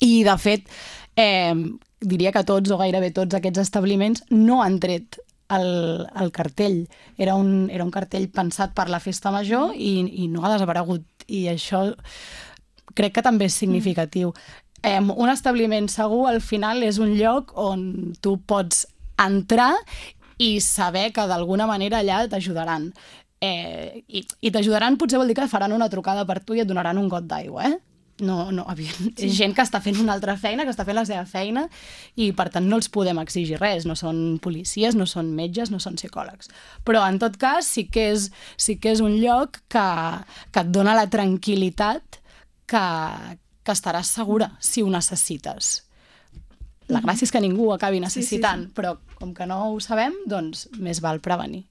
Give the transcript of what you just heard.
I, de fet, diria que tots o gairebé tots aquests establiments no han tret el cartell. Era un cartell pensat per la festa major i no ha desaparegut. I això crec que també és significatiu. Un establiment segur, al final, és un lloc on tu pots entrar i saber que d'alguna manera allà t'ajudaran. I t'ajudaran potser vol dir que faran una trucada per tu i et donaran un got d'aigua, No, és gent que està fent una altra feina, que està fent la seva feina i per tant no els podem exigir res, no són policies, no són metges, no són psicòlegs. Però en tot cas sí que és un lloc que et dona la tranquil·litat que estaràs segura si ho necessites. La gràcia és que ningú ho acabi necessitant, però com que no ho sabem, doncs més val prevenir.